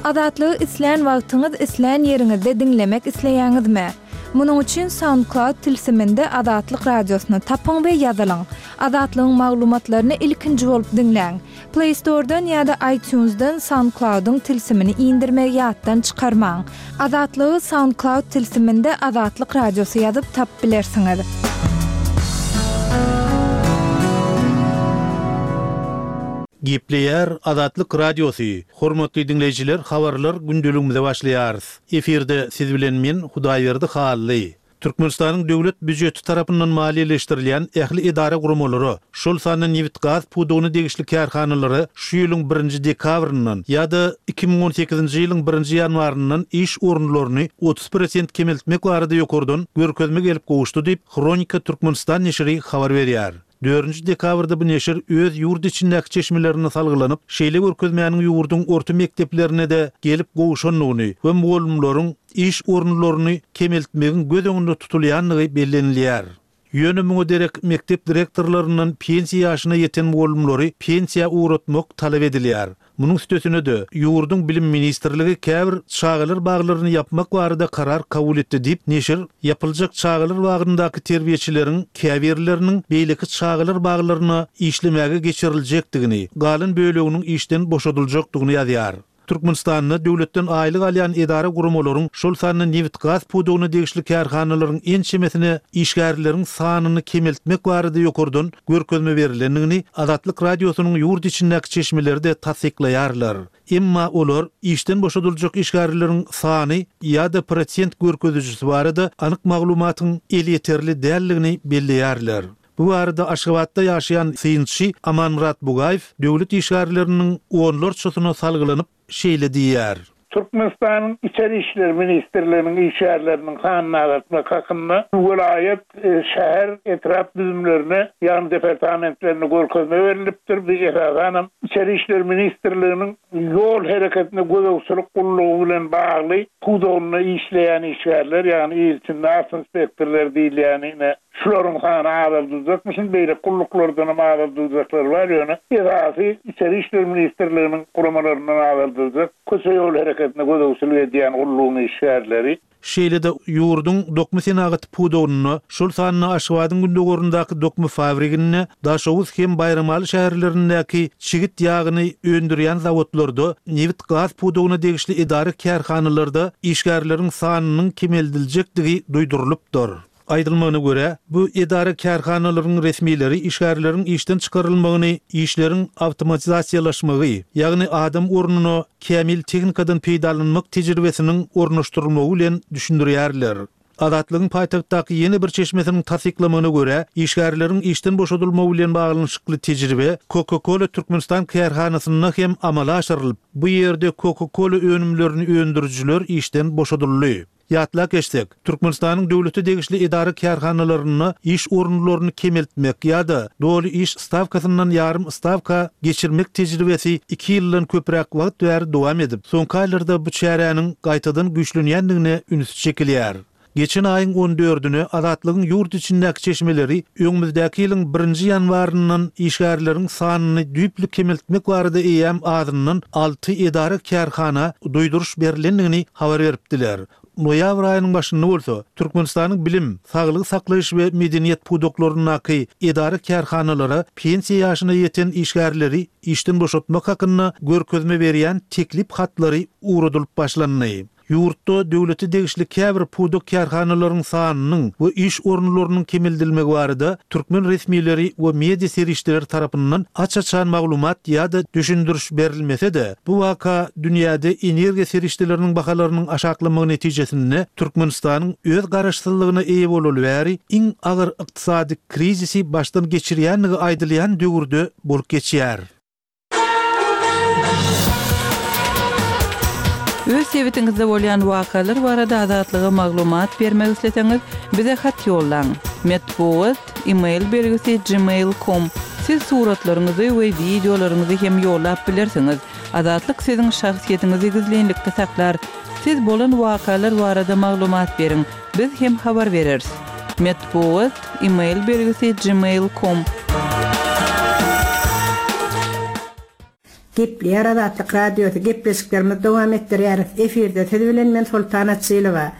Azatlygy islän wagtyňyz, islän ýeriňizde diňlemek isleýäňizmi? Munuň üçin SoundCloud tilsiminde Azatlyk Radiosyny tapyň we ýazylyň. Azatlygyň maglumatlaryny ilkinji bolup diňläň. Play Store-dan ýa-da iTunes-dan SoundCloud-yň tilsimini indirmegi ýatdan çykarmaň. Azatlygy SoundCloud tilsiminde Azatlyk Radiosy ýazyp tapyp bilersiňiz. Gepleýär Azatlyk Radiosy, Hormatly diňleýjiler habarlar gündeligimize başlaýarys. Efirde siz bilen men Hudaýberdi Hally. Türkmenistanyň döwlet býujeti tarapyndan maliýeleşdirilýän ähli edara-guramalara, şol sanda nebit-gaz pudagyna degişli kärhanalara şu ýylyň birinji dekabryndan ýa-da 2018-nji ýylyň birinji ýanwaryndan iş orunlaryny 30 prosent kemeltmek barada ýokardan görkezme gelip gowuşdy diýip, Hronika Türkmenistan neşiri habar berýär. Dördünji dekabrda bu neşir öz ýurt içindäki çeşmelerine salgylanyp, şeýle görkezmäniň ýurduň orta mekdeplerine-de gelip gowşandygyny we mugallymlaryň iş orunlaryny kemeltmegiň göz öňünde tutulýandygy bellenilýär. Ýöne muňa derek mekdep direktorlaryndan pensiýa ýaşyna ýeten mugallymlary pensiýa ugratmak talap edilýär. Munuň üstesine-de, ýurduň Bilim ministrligi käbir çagalar baglaryny ýapmak barada karar kabul etdi diýip, neşir ýapyljak çagalar bagyndaky terbiýeçileriň käbirleriniň beýleki çagalar baglaryna işlemäge geçiriljekdigini, galan böleginiň işden boşadyljakdygyny ýazýar. Türkmenistanda döwletden aýlyk alýan edara-guramalaryň, şol sanda nebit-gaz pudagyna degişli kärhanalaryň ençemesine işgärleriň sanyny kemeltmek barada ýokardan görkezme berlendigini Azatlyk Radiosynyň ýurt içindäki çeşmeleri-de tassyklaýarlar. Emma olar işden boşadyljak işgärleriň sany ýa-da prosent görkezijisi barada anyk maglumatyň elýeterli däldigini belleýärler. Bu barada Aşgabatda ýaşaýan synçy Amanmyrat Bugaýew döwlet işgärleriniň onlarçasyna salgylanyp, şeýle diýýär. Türkmenistanyň Içeri işler ministrliginiň işgärleriniň sanyny azaltmak hakynda welaýat, şäher, etrap düzümlerine, ýagny departamentlerine görkezme berlipdir. Bu esasanam Içeri işler ministrliginiň ýol hereketine gözegçilik gullugy bilen bagly pudagynda işleýän işgärler, ýagny il içinde awtoinspektorlar diýilýäni ine Şularyň sany azaldyljakmyşyn, beýleki gulluklardanam azaldyljaklar bar, ýöne esasy Içeri işler ministrliginiň guramalaryndan azaldyljak, köçe-ýol hereketine gözegçilik edýän gullugyň işgärleri. Şeýle-de ýurduň dokma senagaty pudagynda, şol sanda Aşgabadyň gündogaryndaky dokma fabriginde, Daşoguz hem Baýramaly şäherlerindäki çigit ýagyny öndürýän zawodlarda, nebit-gaz pudagyna degişli edara-kärhanalarda işgärleriň sanynyň kemeldiljekdigi duýdurylypdyr. Aýdylmagyna görä, bu edara-kärhanalaryň resmileri işgärleriň işden çykarylmagyny işleriň awtomatizasiýalaşmagy, ýagny adam ornuna kämil tehnikadan peýdalanmak tejribesiniň ornaşdyrylmagy bilen düşündirýärler. Azatlygyň paýtagtdaky ýene bir çeşmesiniň tassyklamagyna görä, işgärleriň işden boşadylmagy bilen baglanyşykly tejribe Coca-Cola Türkmenistan kärhanasynda hem amala aşyrylyp, bu ýerde Coca-Cola önümlerini öndürijiler işden boşadyldy. Ýatlap geçsek, Türkmenistanyň döwlete degişli edara-kärhanalarynda iş orunlaryny kemeltmek ýa-da doly iş stawkasyndan ýarym stawka geçirmek tejribesi iki ýyldan köpräk wagt bäri dowam edip, soňky aýlarda bu çäräniň gaýtadan güýçlenýändigine üns çekilýär. Geçen aýyň on dördüne Azatlygyň ýurt içindäki çeşmeleri öňümizdäki ýylyň birinji ýanwaryndan işgärleriň sanyny düýpli kemeltmek barada eýýäm azyndan alty edara-kärhana duýduryş berlendigini habar beripdiler. Noýabr aýynyň başynda bolsa, Türkmenistanyň bilim, saglygy saklaýyş we medeniýet pudaklaryndaky edara-kärhanalara pensiýa ýaşyna ýeten işgärleri işden boşatmak hakynda görkezme berýän teklip hatlary ugradylyp başlandy. Ýurtda döwlete degişli käbir pudak kärhanalaryň sanynyň we iş orunlarynyň kemeldilmegi barada türkmen resmileri we media serişdeleri tarapyndan aç-açan maglumat ýa-da düşündiriş berilmese-de, bu waka dünýäde energiýa serişdeleriniň bahalarynyň aşaklamagy netijesinde Türkmenistanyň öz garaşsyzlygyna eýe bolaly bäri iň agyr ykdysady krizisi başdan geçirýändigi aýdylýan döwürde bolup geçýär. Öz sebitiňizde bolýan wakalar barada Azatlyga maglumat bermek isleseňiz, bize hat ýollaň. Metbugat, e-mail belgisi gmail com. Siz suratlaryňyzy we wideolaryňyzy hem ýollap bilersiňiz. Azatlyk siziň şahsyýetiňizi gizlinlikde saklar. Siz bolan wakalar barada maglumat beriň, biz hem habar bereris. Metbugat, e-mail belgisi gmail com. Gepleýär Azatlyk Radiosy, gepleşiklerimizi dowam etdirýäris. Efirde siz bilen men Soltan Açylowa.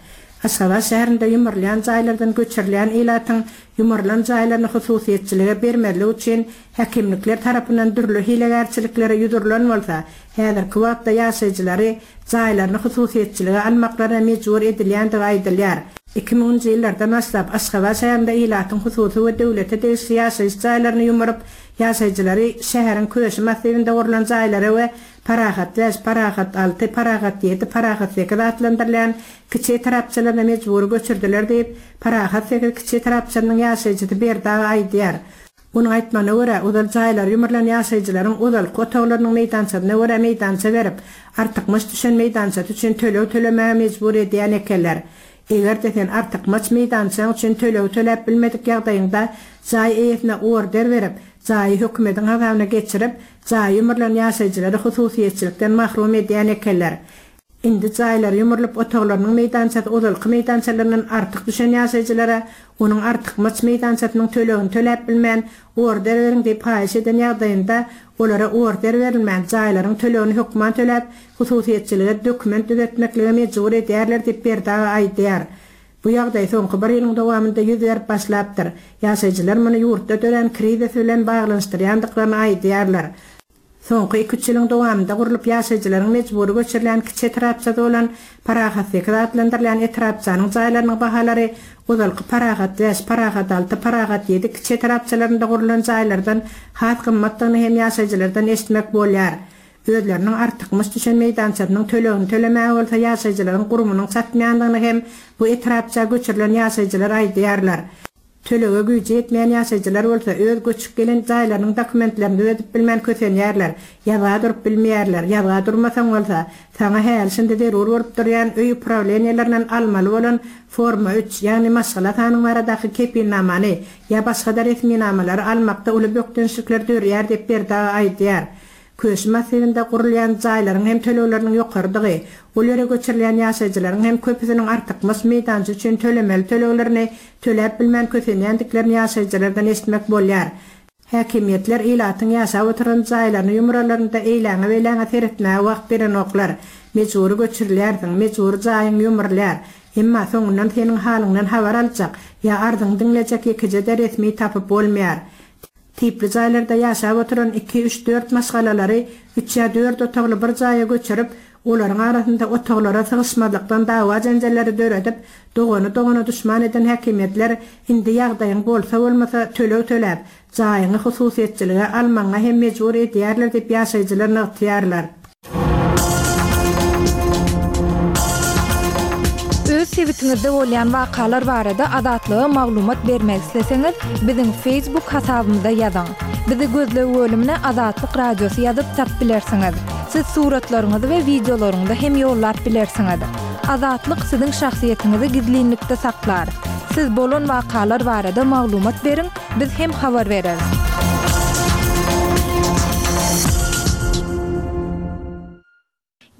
Aşgabat şäherinde ýumrulýan jaýlardan göçürilýän ilatyň ýumrulan jaýlaryny hususyýetçilige bermezlik üçin häkimlikler tarapyndan dürli hilegärçiliklere ýüz urlan bolsa, häzirki wagtda ýaşaýjylary jaýlaryny hususyýetçilige almaklaryna mejbur edilýändigi aýdylýar. Iki müňünji ýyllardan başlap, Aşgabat şäherinde ilatyň hususy we döwlete degişli ýaşaýyş jaýlaryny ýumuryp, ýaşaýjylary şäheriň Köşi massiwinde gurlan jaýlara we Parahat bäş, Parahat alty, Parahat ýedi, Parahat sekiz atlandyrylýan kiçi etrapçalaryna mejbury göçürdiler diýip, Parahat sekiz kiçi etrapçasynyň ýaşaýjysy Berdi aga aýdýar. Onuň aýtmagyna görä, ozal jaýlary ýumrulan ýaşaýjylaryň ozalky otaglarynyň meýdançasyna görä meýdança berip, artykmaç düşen meýdançasy üçin töleg tölemäge mejbur edýän ekenler. Eger-de sen artykmaç meýdançaň üçin tölegi töläp bilmedik ýagdaýyňda jaý eýesine order berip, jaýy hökümediň hasabyna geçirip, jaýy ýumrulan ýaşaýjylary hususyýetçilikden mahrum edýän ekenler. Indi jaýlary ýumrulyp otaglarynyň meýdançasy ozalky meýdançalaryndan artyk düşen ýaşaýjylara onuň artykmaç meýdançasynyň tölegini töläp bilmän, order beriň diýip haýyş eden ýagdaýynda olara order berilmän, jaýlaryň tölegini hökman töläp, hususyýetçilige dokument düzetmeklige mejbur edýärler diýip Berdi aga aýdýar. Bu ýagdaý soňky bir ýylyň dowamynda ýüz berip başlapdyr. Ýaşaýjylar muny ýurtda dörän krizis bilen baglanyşdyrýandyklaryny aýdýarlar. Soňky iki-üç ýylyň dowamynda gurlup ýaşaýjylaryň mejbury göçürilýän kiçi etrapçasy bolan Parahat sekiz atlandyrylýan etrapçanyň jaýlarynyň bahalary ozalky Parahat bäş, Parahat alty, Parahat ýedi kiçi etrapçalarynda gurlan jaýlardan has gymmatdygyny hem ýaşaýjylardan eşitmek bolýar. Özleriniň artykmaç düşen meýdançasynyň tölegini tölemäge bolsa ýaşaýjylaryň gurbunyň çatmaýandygyny hem bu etrapça göçürilen ýaşaýjylar aýdýarlar. Tölege güýji ýetmeýän ýaşaýjylar bolsa öz göçüp gelen jaýlarynyň dokumentlerini düzedip bilmän kösenýärler, ýazga durup bilmeýärler, ýazga durmasaň bolsa, saňa häli-şindi zerur bolup durýan öý uprawleniýelerinden almaly bolan Forma üç, ýagny maşgala sanyň baradaky kepilnamany ýa başga-da resminamalary almakda uly bökdençlikler dörýär diýip Berdi aga aýdýar. Köşi massiwinde gurulýan jaýlaryň hem tölegleriniň ýokarydygy, ol ýere göçürilýän ýaşaýjylaryň hem köpüsiniň artykmaç meýdança üçin tölemeli töleglerini töläp bilmän kösenýändiklerini ýaşaýjylardan eşitmek bolýar. Häkimiýetler ilatyň ýaşap oturan jaýlaryny ýumralarynda eýläňe-beýläňe seretmäge wagt berenoklar. Mejbury göçürilýärsiň, mejbury jaýyň ýumrulýar. Emma soňundan seniň halyňdan habar aljak ýa arzyňy diňlejek ýekeje-de resmi tapyp bolmaýar. Tipli jaýlarda ýaşap oturan iki, üç, dört maşgalalary üç ýa dört otagly bir jaýa göçürip, olaryň arasynda otaglara sygyşmazlykdan dawa-jenjelleri döredip, dogany dogana duşman eden häkimiýetler indi ýagdaýyň bolsa-bolmasa töleg töläp, jaýyňy hususyýetçilige almagyňa hem mejbur edýärler diýip ýaşaýjylar nygtaýarlar. Öz sebitiňizde bolýan wakalar barada Azatlyga maglumat bermek isleseňiz, biziň Facebook hasabymyza ýazyň. Bizi gözleg bölümine Azatlyk Radiosy ýazyp tapyp bilersiňiz. Siz suratlaryňyzy we wideolaryňyzy hem ýollap bilersiňiz. Azatlyk siziň şahsyýetiňizi gizlinlikde saklar. Siz bolan wakalar barada maglumat beriň, Biz hem habar bereris.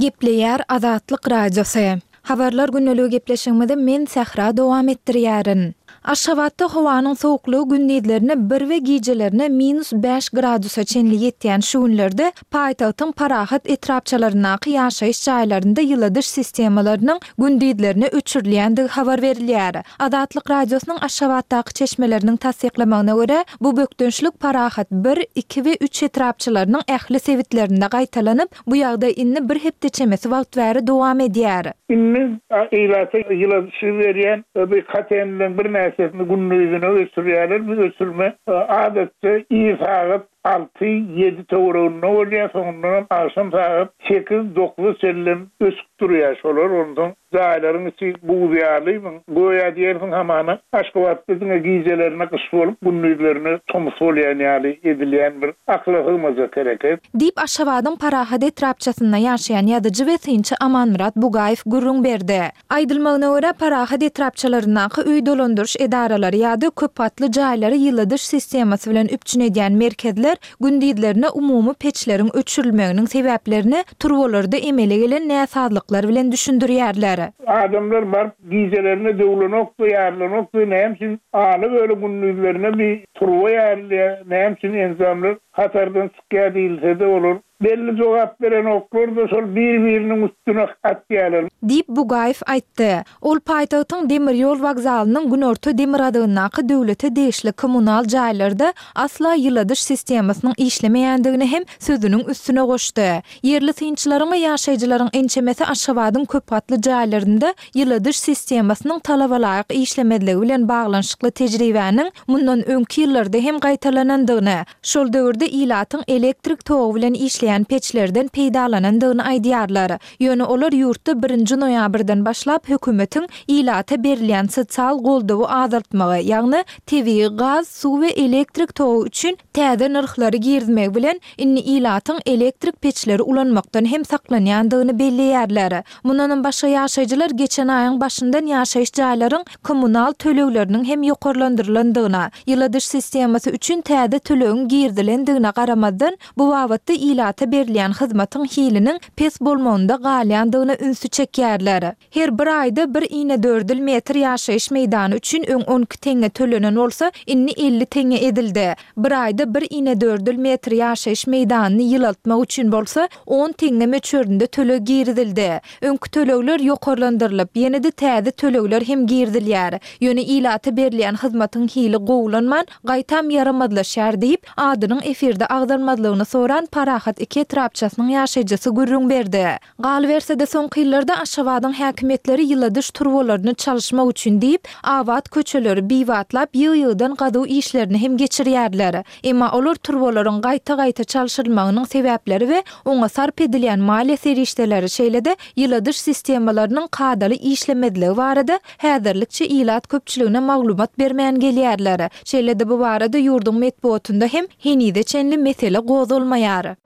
Gepleýär Azatlyk Radiosy. Habarlar gündeligi gepleşigimizi men Sähra dowam etdirýärin. Aşgabatda howanyň sowuklygy gündizlerine bir we gijelerine minus bäş gradusa çenli ýetýän şu günlerde paýtagtyň Parahat etrapçalaryndaky ýaşaýyş jaýlarynda ýyladyş sistemalarynyň gündizlerine öçürilýändigi habar berilýär. Azatlyk Radiosynyň Aşgabatdaky çeşmeleriniň tassyklamagyna görä, bu bökdençlik Parahat bir, iki we üç etrapçalarynyň ähli sebitlerinde gaýtalanyp, bu ýagdaý indi bir hepde çemesi wagt bäri dowam edýär. Indi ilata ýyladyşy berýän bu kotelnileriň birnäçesini gündizine öçürýärler. Bu öçürme adatça ir sagat alty, ýedi töwereginde bolýar, soňundanam agşam sagat sekiz, dokuza çenlem öçüp durýar şolar. Onsoň Jaýlaryň içi buz ýaly, göýä diýersiň hamana Aşgabatda diňe gijelerine gyş bolup, gündizlerine tomus bolýan ýaly edilýän bir akyla sygmajak hereket. Diýip, Aşgabadyň Parahat etrapçasynda ýaşaýan ýazyjy we synçy Amanmyrat Bugaýew gürrüň berdi. Aýdylmagyna görä, Parahat etrapçalaryndaky öý dolandyryş edaralary ýa-da köpgatly jaýlary ýyladyş sistemasy bilen üpjün edýän merkezler Gündizlerine umumy peçleriň öçürilmeginiň sebäplerini turbalarda emele gelen näsazlyklar bilen düşündirýärler. Adamlar baryp gijelerine döwlenokdy, ýarylanokdy, näme üçin ala-böle gündizlerine bir turba ýarylýar, näme üçin enjamlar hatardan çykýar diýilse-de olar. Belli jogap berenoklar-da şol bir-biriniň üstüne atýarlar. Diýip, Bugaýew aýtdy. Ol paýtagtyň demir ýol wokzalynyň günorta-demirgazygyndaky döwlete degişli kommunal jaýlarda asla ýyladyş sistemasynyň işlemeýändigini hem sözüniň üstüne goşdy. Ýerli synçylaryň we ýaşaýjylaryň ençemesi Aşgabadyň köpgatly jaýlarynda ýyladyş sistemasynyň talabalaýyk işlemezligi bilen baglanyşykly tejribäniň mundan öňki ýyllarda hem gaýtalanandygyny, şol döwürde ilatyň elektrik togy bilen işleýän peçlerden peýdalanandygyny aýdýarlar. Ýöne olar ýurtda birinji noýabrdan başlap hökümetiň ilata berilýän sosial goldawy azaltmagy, ýagny tebigy gaz, suw we elektrik togy üçin täze nyrhlary girizmegi bilen indi ilatyň elektrik peçleri ulanmakdan hem saklanýandygyny belleýärler. Mundanam başga ýaşaýjylar geçen aýyň başyndan ýaşaýyş jaýlaryň kommunal tölegleriniň hem ýokarlandyrylandygyna, ýyladyş sistemasy üçin täze tölegiň girizilendigine garamazdan, bu babatda ilata berilýän hyzmatyň hiliniň pes bolmagynda galýandygyna ünsi çekýärler. Her bir aýda bir inedördül metr ýaşaýyş meýdany üçin öň 12 teňňe tölenen bolsa, indi 50 teňňe edildi. Bir aýda bir inedördül metr ýaşaýyş meýdanyny ýylaltmak üçin bolsa, on teňňe möçberinde töleg girizildi. Öňki tölegler ýokarlandyrylyp, ýene-de täze tölegler hem girizilýär. Ýöne ilata berilýän hyzmatyň hili gowulanman, gaýtam ýaramazlaşýar diýip, adynyň efirde agzalmazlygyny soran Parahat iki etrapçasynyň ýaşaýjysy gürrüň berdi. Galyberse-de, soňky ýyllarda Aşgabadyň häkimiýetleri ýyladyş turbalaryny çalyşmak üçin diýip, abat köçeleri bibatlap, ýygy-ýygydan gazuw işlerini hem geçirýärler. Emma olar turbalaryň gaýta-gaýta çalşyrylmagynyň sebäpleri we oňa sarp edilýän maliýe serişdeleri, şeýle-de ýyladyş sistemalarynyň kadaly işlemezligi barada häzirlikçe ilat köpçüligine maglumat bermän gelýärler. Şeýle-de bu barada ýurduň metbugatynda hem henize çenli mesele gozgalmaýar.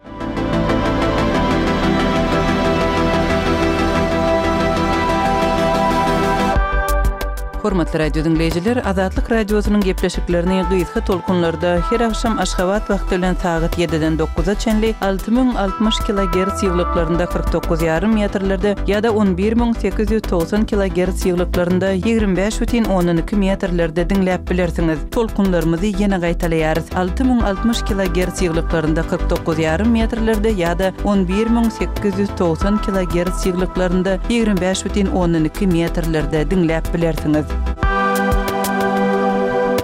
Hormatly radio diňleýjiler, Azatlyk Radiosynyň gepleşiklerini gysga tolkunlarda her agşam Aşgabat wagty bilen sagat ýediden dokuza çenli 6060 kilogerts ýyglyklarynda 49 ýarym metrlerde ýa-da 11890 kilogerts ýyglyklarynda 25 bütin ondan iki metrlerde diňläp bilersiňiz. Tolkunlarymyzy ýene gaýtalaýarys, 6060 kilogerts ýyglyklarynda 49 ýarym metrlerde ýa-da 11890 kilogerts ýyglyklarynda 25 bütin ondan iki metrlerde diňläp bilersiňiz.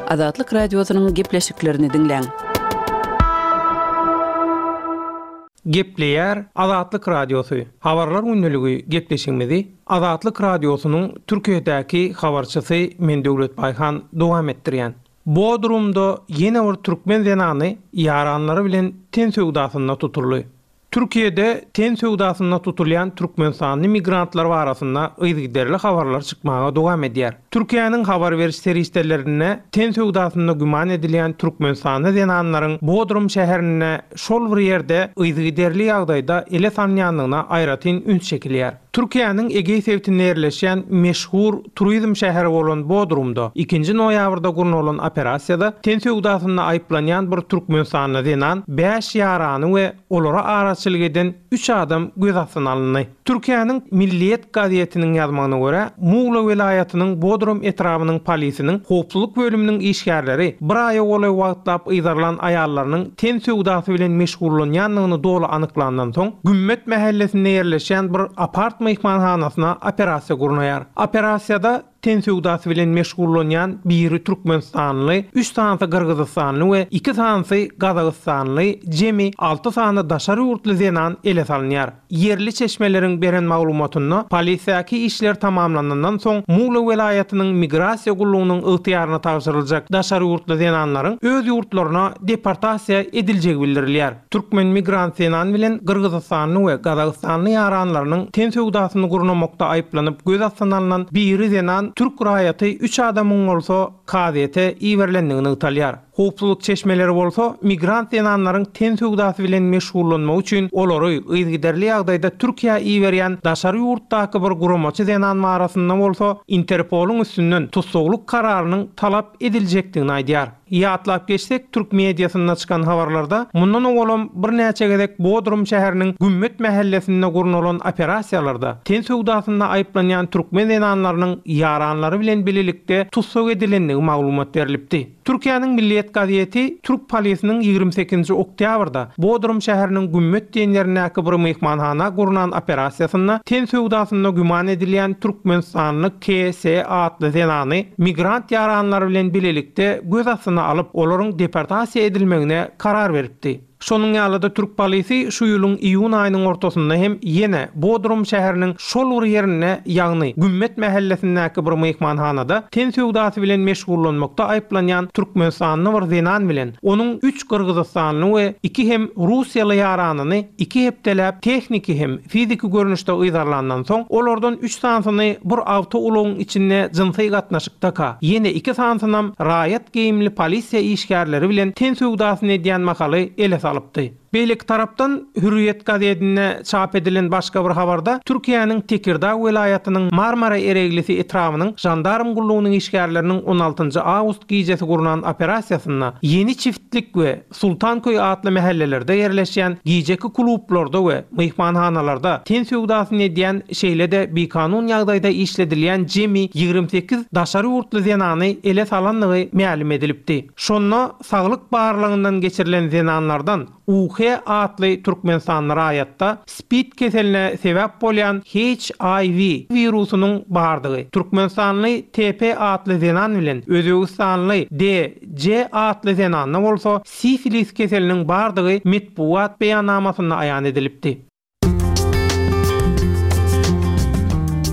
Azatlyk Radiosynyň gepleşiklerini diňläň. Gepleýär Azatlyk Radiosy, Habarlar gündeligi gepleşigimizi Azatlyk Radiosynyň Türkiýedäki habarçysy men Döwlet Baýhan dowam etdirýän. Bodrumda ýene bir türkmen zenany ýaranlary bilen ten söwdasynda tutuldy. Türkiýede ten söwdasynda tutulýan türkmenistanly migrantlar barasynda yzygiderli habarlar çykmaga dowam edýär. Türkiýäniň habar beriş serişdelerinde ten söwdasynda güman edilýän türkmenistanly zenanlaryň Bodrum şäherinde şol bir ýerde yzygiderli ýagdaýda ele salynýandygyna aýratyn üns çekilýär. Türkiýäniň Egeý sebitinde ýerleşýän meşhur turizm şäheri bolan Bodrumda ikinji noýabrda gurnalan operasiýada ten söwdasynda aýyplanýan bir türkmenistanly zenan, bäş ýarany we olara araçylyk eden üç adam göz astyna alyndy. Türkiýäniň Milliýet gazetiniň ýazmagyna görä, Mugla welaýatynyň Bodrum etrabynyň polisiniň howpsuzlyk bölüminiň işgärleri bir aýa golaý wagtlap yzarlan aýallarynyň ten söwdasy bilen meşgullanýandygyny doly anyklandan soň, Gümmet mähellesinde ýerleşýän bir apart myhmanhanasyna operasiýa gurnaýar. Operasiýada ten söwdasy bilen meşgullanýan biri türkmenistanly, üç sanysy gyrgyzystanly we iki sanysy gazagystanly, jemi alty sany daşary ýurtly zenan ele salynýar. Ýerli çeşmeleriň beren maglumatynda, polisiýaky işler tamamlanandan soň Mugla welaýatynyň migrasiýa gullugynyň ygtyýaryna tabşyryljak daşary ýurtly zenanlaryň öz ýurtlaryna deportasiýa ediljegi bildirilýär. Türkmen migrant zenan bilen gyrgyzystanly we gazagystanly ýaranlarynyň ten söwdasyny gurnamakda aýyplanyp göz astyna alnan biri zenan türk raýaty üç adamyň bolsa kazyýete iberilendigi nygtalýar. Howpsuzlyk çeşmeleri bolsa migrant zenanlaryň ten söwdasy bilen meşgullanmagy üçin olary yzygiderli ýagdaýda Türkiýä iberýän daşary ýurtdaky bir guramaçy zenan barasynda bolsa Interpolyň üstünden tussaglyk kararynyň talap ediljekdigini aýdýar. Ýatlap geçsek, türk mediasynda çykan habarlarda mundan owalam birnäçe gezek Bodrum şäheriniň Gümmet mähellesinde gurnalan operasiýalarda ten söwdasynda aýyplanýan türkmen zenanlarynyň ýaranlary bilen bilelikde tussag edilendigi maglumat berlipdi. Türkiýäniň Milliýet. Hürriýet gazeti türk polisiniň 28-nji oktýabrda Bodrum şäheriniň Gümmet diýen ýerindäki bir myhmanhana gurnan operasiýasynda ten söwdasynda güman edilýän türkmenistanly KS atly zenany migrant ýaranlary bilen bilelikde göz astyna alyp, olaryň deportasiýa edilmegine karar beripdi. Şonuň ýaly-da türk polisi şu ýylyň iýun aýynyň ortasynda hem ýene Bodrum şäheriniň şol bir ýerinde, ýagny Gümmet mähellesindäki bir myhmanhanada ten söwdasy bilen meşgullanmakda aýyplanýan türkmenistanly bir zenan bilen onuň üç gyrgyzystanly we iki hem russiýaly ýaranyny iki hepdeläp tehniki hem fiziki görnüşde yzarlandan soň, olardan üç sanysyny bir awtoulagyň içinde jynsy gatnaşykdaka, ýene iki sanysynam raýat geýimli polisiýa işgärleri bilen ten söwdasyny edýän mahaly ele salypdy. Beýleki tarapdan, Hürriýet gazetinde çap edilen başga bir habarda Türkiýäniň Tekirdag welaýatynyň Marmara Ereglisi etrabynyň žandarm gullugynyň işgärleriniň on altynjy awgust gijesi gurnan operasiýasynda Ýeni çiftlik we Sultanköý atly mähellelerde ýerleşýän gijeki klublarda we myhmanhanalarda ten söwdasyny edýän, şeýle-de bikanun ýagdaýda işledilýän jemi 28 daşary ýurtly zenany ele salandygy mälim edilipdi. Şonda saglyk barlagyndan geçirilen zenanlardan UH atly türkmenistanly raýatda spid keseline sebäp bolýan HIV wirusynyň bardygy, türkmenistanly TP atly zenan bilen özbegistanly D. J atly zenanda bolsa sifilis keseliniň bardygy metbugat beýannamasynda aýan edilipdi.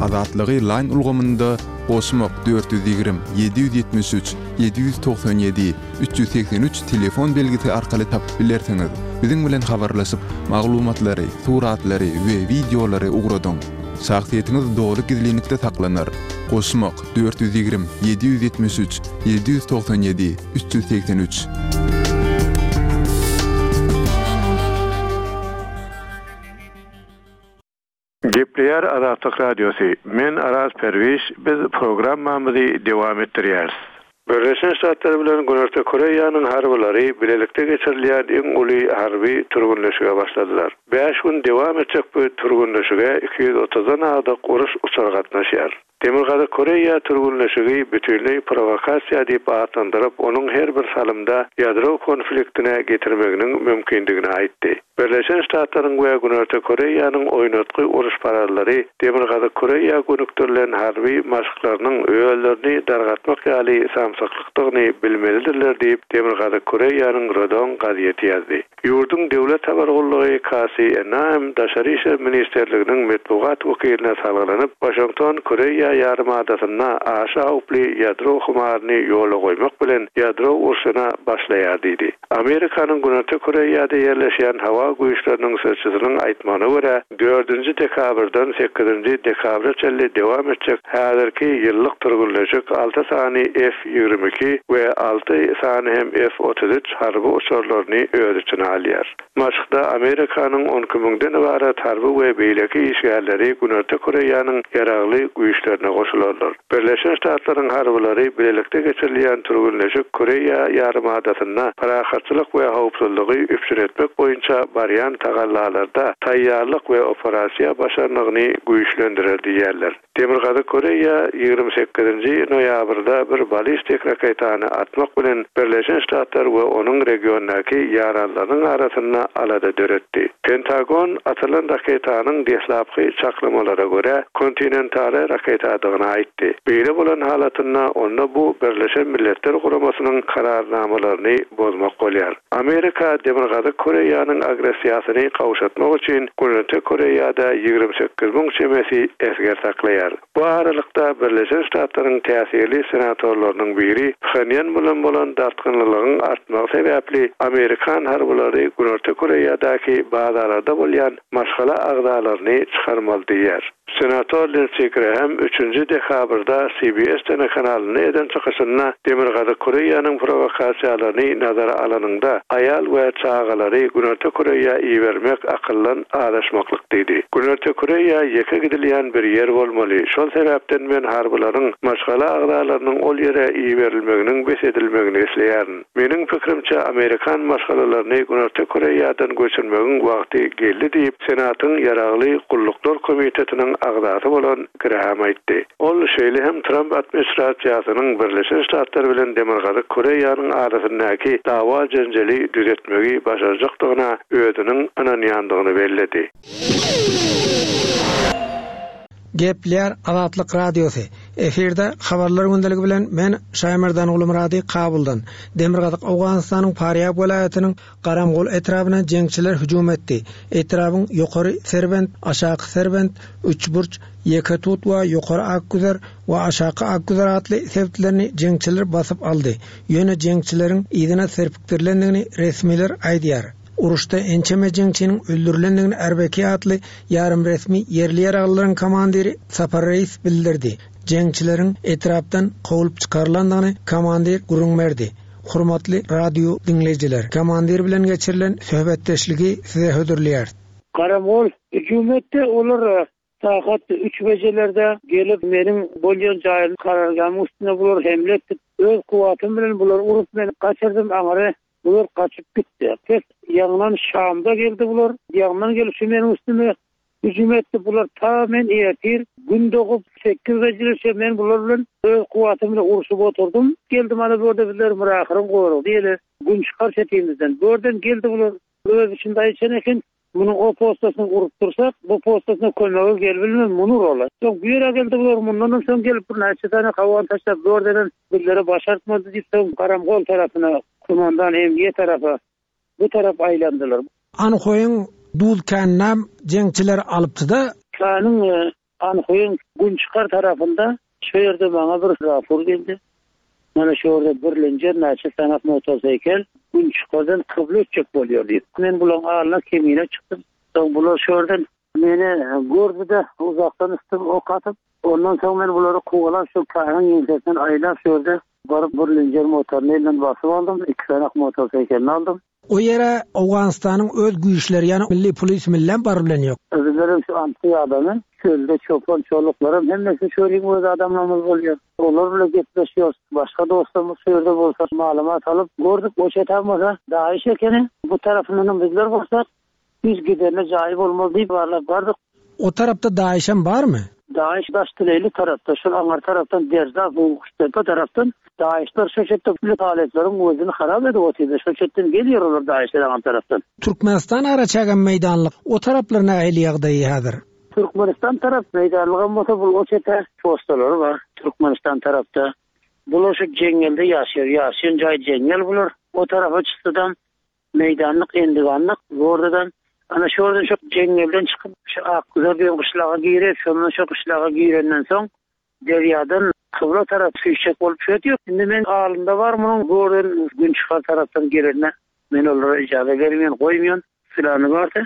Azatlygy Line ulgamynda goşmak 420 773 797 383 telefon belgisi arkaly tapyp bilersiňiz. Biziň bilen habarlaşyp, maglumatlary, suratlary we wideolary ugradyň. Şahsyýetiňiz doly gizlinlikde saklanar. Goşmak 420 773 797 383. Gepleýär Azatlyk Radiosy, Men Araz Perwiş, biz programmamyzy dowam etdirýäris. Birleşen Ştatlar bilen Günorta Koreýanyň harbylary bilelikde geçirilýän iň uly harby türgenleşige başladylar. Bäş gün dowam etjek bu türgenleşige 230-dan agdyk uruş uçary gatnaşýar. Demirgazyk Koreýa türgenleşigi bütinleý prowokasiýa diýip atlandyryp, onuň her bir salymda ýadro konfliktine getirmeginiň mümkindigini aýtdy. Birleşen Ştatlaryň we Günorta Koreýanyň oýnatgy uruşparazlary Demirgazyk Koreýa gönükdirilen harby maşklarynyň özlerini dargatmak ýaly samsyklykdygyny bilmelidirler diýip, Demirgazyk Koreýanyň Rodong gazeti ýazdy. Ýurduň döwlet habar gullugy KCNA-m Daşary işler ministrliginiň metbugat wekiline salgylanyp, Waşington Koreýa ýarymadasynda aşa howply ýadro humaryny ýola goýmak bilen ýadro urşuna başlaýar diýdi. Amerikanyň Günorta Koreýada ýerleşýän howa güýçleriniň sözçüsiniň aýtmagyna görä, dördünji dekabrdan sekizinji dekabra çenli dowam etjek häzirki ýyllyk türgenleşik alty sany F-22 we alty sany hem F-33 harby uçarlaryny öz içine alýar. Maşkda Amerikanyň on iki müňden ybarat harby we beýleki işgärleri Günorta Koreýanyň ýaragly güýçlerine goşularlar. Birleşen Ştatlaryň harbylary bilelikde geçirilýän türgenleşik Koreýa ýarymadasynda parahatçylyk we howpsuzlygy üpjün etmek boýunça barýan tagallalarda taýýarlyk we operasiýa başarnygyny güýçlendirer diýýärler. Demirgazyk Koreýa 28-nji noýabrda bir ballistik raketany atmak bilen Birleşen Ştatlar we onuň regiondaky ýaranlarynyň arasynda alada döretdi. Pentagon atylan raketanyň deslapky çaklamalara görä, kontinentara raketadygyny aýtdy. Beýle bolan halatynda onda bu Birleşen Milletler Guramasynyň kararnamalaryny bozmak bolýar. Amerika Demirgazyk Koreýanyň agressiýasyny gowşatmak üçin Günorta Koreýada 28 müň çemesi esger saklaýar. Bu aralykda, Birleşen Ştatlaryň täsirli senatorlarynyň biri Phenýan bilen bolan dartgynlylygyň artmagy sebäpli amerikan harbylary Günorta Koreýadaky bazalarda bolýan maşgala agzalaryny çykarmaly diýýär. Senator Lindsi Graham üçünji dekabrda CBS telekanalynda eden çykyşynda Demirgazyk Koreýanyň prowokasiýalaryny nazara alanyňda, aýal we çagalary Günorta Koreýa ibermek akyldan azaşmaklyk diýdi. Günorta Koreýa ýeke gidilýän bir ýer bolmaly, şol sebäpden men harbylaryň maşgala agzalarynyň ol ýere iberilmeginiň bes edilmegini isleýärin. Meniň pikirimçe, amerikan maşgalalaryny Günorta Koreýadan göçürmegiň wagty geldi diýip, Senatyň Ýaragly gulluklar komitetiniň. agzasy bolan Graham aýtdy. Ol şeýle hem Tramp administrasiýasynyň Birleşen Ştatlar bilen Demirgazyk Koreýanyň arasyndaky dawa-jenjeli düzetmegi başarjakdygyna özüniň ynanýandygyny belledi. Gepleýär Azatlyk Radiosy. Efirde Habarlar gündeligi bilen men Şaýmerdan Gulumyrady Kabuldan. Demirgazyk Owganystanyň Farýab welaýatynyň Garamgol etrabyna jeňçiler hüjüm etdi. Etrabyň Ýokary Serbent, Aşaky Serbent, Üçburç, Ýeketut we Ýokary Akgüzer we Aşaky Akgüzer atly sebitlerini jeňçiler basyp aldy. Ýöne jeňçileriň yzyna serpikdirilendigini resmiler aýdýar. Uruşda ençeme jeňçiniň öldürilendigini RBK atly ýarym-resmi ýerli ýaraglylaryň komandiri Sapar Reis bildirdi. Jeňçileriň etrapdan kowlup çykarylandygyny komandir gürrüň berdi. Hormatly radio diňleýjiler, komandir bilen geçirilen söhbetdeşligi size hödürleýäris. Garamgol hüjüm etdi. Olar sagat üç bejelerde gelip meniň bolýan jaýym karargämiň üstüne bular hemle etdi. Öz kuwwatym bilen bulary urup men gaçyrdym aňyry bular gaçyp gitdi. Pes ýaňdan Şamda geldi bular. Ýaňdan gelip şu meniň üstüme Hüjüm etdi bular ta men ertir gün dogup sekiz bejileçe men bular bilen öz kuwwatym bilen urşup oturdym. Geldi mana bu ýerde bizler Myrahyryň goragy diýeli gün çykar çetimizden. Bu ýerden geldi bular öz içinde aýyşan eken munuň o postasyny urup dursak bu postasyna kömege gelibilmez muny uraly. Soň bu ýere geldi bular mundanam soň gelip bir näçe sany hawan taşlap bu ýerdenem bizlere başartmady diýip soň Garamgol tarapyna kumandan MG tarapa Bu tarap aýlandylar. Anhoýyň duz käninem jeňçiler alypdy-da. Käniň Anhoýyň günçykar tarapynda şo ýerde maňa bir rapor geldi. Mana şo ýerde birlenjer näçe sanak motoseýkel günçykardan kybla ötjek bolýar diýip. Men bulaň alyna kemine çykdym. Soň bular şo ýerden meni gördi-de, uzakdan üstüme ok atyp, ondan soň men bulary kowalap şo käniň ýeňsesinden aýlap şo ýerde Baryp bir lenjer motoryny elinden basyp aldym, iki sanak motoseýkelini aldym. O ýere Owganystanyň öz güýçleri, ýagny milli polis millem baryp bilen ýok. Bizlerem şu anty adamy, çölde çopan çoluklaram hemmesi çölüň öz adamlarymyz bolýar. Olar bilen gepleşýäris. Başga dostlarymyz şu ýerde bolsa maglumat alyp gördük, o çetem bolsa DAIŞ ekeni, bu tarapyndanam bizler bolsak, Hiç giderine jaýy bolmaz diýip barlap bardyk. O tarapda DAIŞem barmy? DAIŞ Daştileýli tarapda, şol aňyr tarapdan Derzap, Guştepe tarapdan DAIŞler şo çetde uly talyplaryň özüni harap edip otyrdy. Şo çetden gelýär olar DAIŞler aňyr tarapdan. Türkmenistan araçägem meýdanlyk. O taraplar nähili ýagdaýy häzir? Türkmenistan tarap meýdanlygam bolsa bul o çete postalary bar Türkmenistan tarapda. Bular şu jeňňelde ýaşaýar. Ýaşaýan jaýy jeňňel bular. O tarapa çyksadam Meýdanlyk, endiganlyk zordadan, ana şu ýerden şu jeňňelden çykyp, şu Akgüzer diýen gyşlaga girýär, şondan şu gyşlaga girenden soň, derýadan kybla tarap süýşjek bolup şöýdýär. Indi men alynda bar munuň, bu ýerden günçykar tarapdan gelenine men olara ijaza bermeýän, goýmaýan, pylany bardy.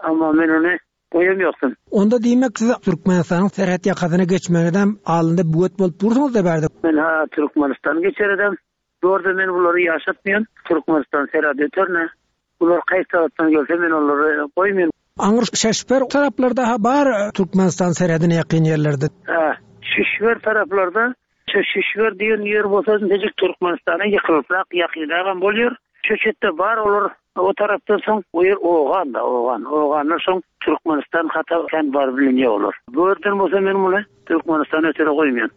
Emma men ony goýam ýokdum. Onda diýmek siz Türkmenistanyň serhet ýakasyna geçmegedem alynda böwet bolup dursuňyzda bärde. Men-ha Türkmenistan geçeredem. Bu ýerde men bulary ýaşatmaýan. Türkmenistan serhat öterne. Bular kaýsy tarapdan gelse men olary goýmaýan. Aňry Şeşper taraplarda-ha bar Türkmenistan serhedine ýakyn ýerlerde. Hä, Şişber taraplarda, şu Şişber diýen ýer bolsa intejik Türkmenistana ýykylybrak ýakynragam bolýar. Şu çetde bar olar o tarapdan soň o ýer Ogan-da, Ogan. Oganlar soň Türkmenistan hata kän baryp bilinýär olar. Bu ýerden bolsa men muny Türkmenistana ötere goýmaýan.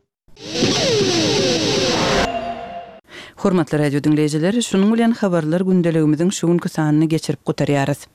Hormatly radio diňleýjiler, şunuň bilen Habarlar gündeligimiziň şu günki sanyny geçirip gutarýarys.